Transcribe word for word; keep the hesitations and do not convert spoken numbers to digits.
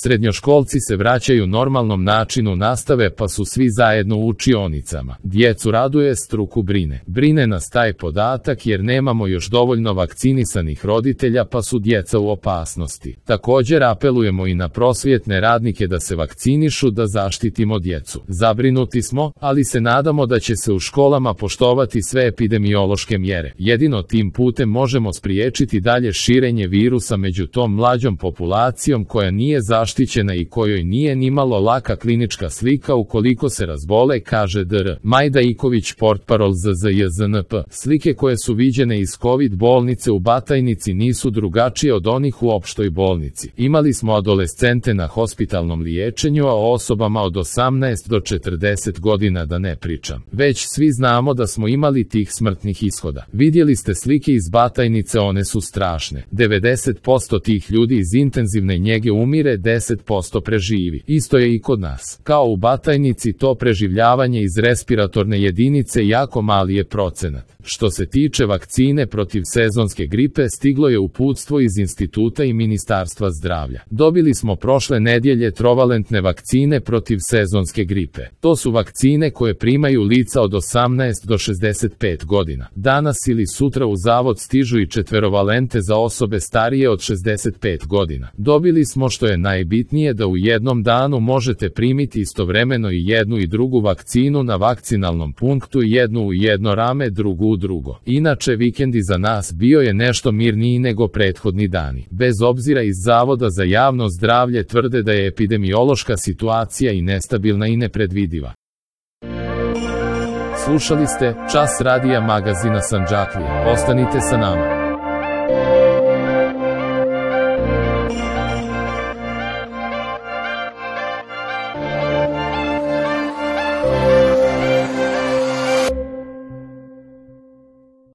Srednjoškolci se vraćaju normalnom načinu nastave pa su svi zajedno u učionicama. Djecu raduje, struku brine. Brine nas taj podatak jer nemamo još dovoljno vakcinisanih roditelja pa su djeca u opasnosti. Također apelujemo i na prosvjetne radnike da se vakcinišu da zaštitimo djecu. Zabrinuti smo, ali se nadamo da će se u školama poštovati sve epidemiološke mjere. Jedino tim putem možemo spriječiti dalje širenje virusa među tom mlađom populacijom koja nije zaštićena i kojoj nije nimalo laka klinička slika ukoliko se razbole, kaže dr Majda Iković, portparol Z Z J Z N P. Slike koje su viđene iz COVID bolnice u Batajnici nisu drugačije od onih u opštoj bolnici. Imali smo adolescente na hospitalnom liječenju, a o osobama od osamnaest do četrdeset godina da ne pričam. Već svi znamo da smo imali tih smrtnih ishoda. Vidjeli ste slike iz Batajnice, one su strašne. devedeset posto tih ljudi iz intenzivne njege umire, deset posto preživi. Isto je i kod nas. Kao u Batajnici, to preživljavanje iz respiratorne jedinice jako mali je procenat. Što se tiče vakcine protiv sezonske gripe, stiglo je uputstvo iz instituta i Ministarstva zdravlja. Dobili smo prošle nedjelje trovalentne vakcine protiv sezonske gripe. To su vakcine koje primaju lica od osamnaest do šezdeset pet godina. Danas ili sutra u zavod stižu i četverovalente za osobe starije od šezdeset pet godina. Dobili smo, što je najbitnije, da u jednom danu možete primiti istovremeno i jednu i drugu vakcinu na vakcinalnom punktu, jednu u jedno rame, drugu u drugo. Inače, vikend iza nas bio je nešto mirniji nego prethodni dani. Bez obzira, iz Zavoda za javno zdravlje tvrde da je epidemiološka situacija i nestabilna i nepredvidiva. Slušali ste Čas radija magazina Sandžaklija. Ostanite sa nama.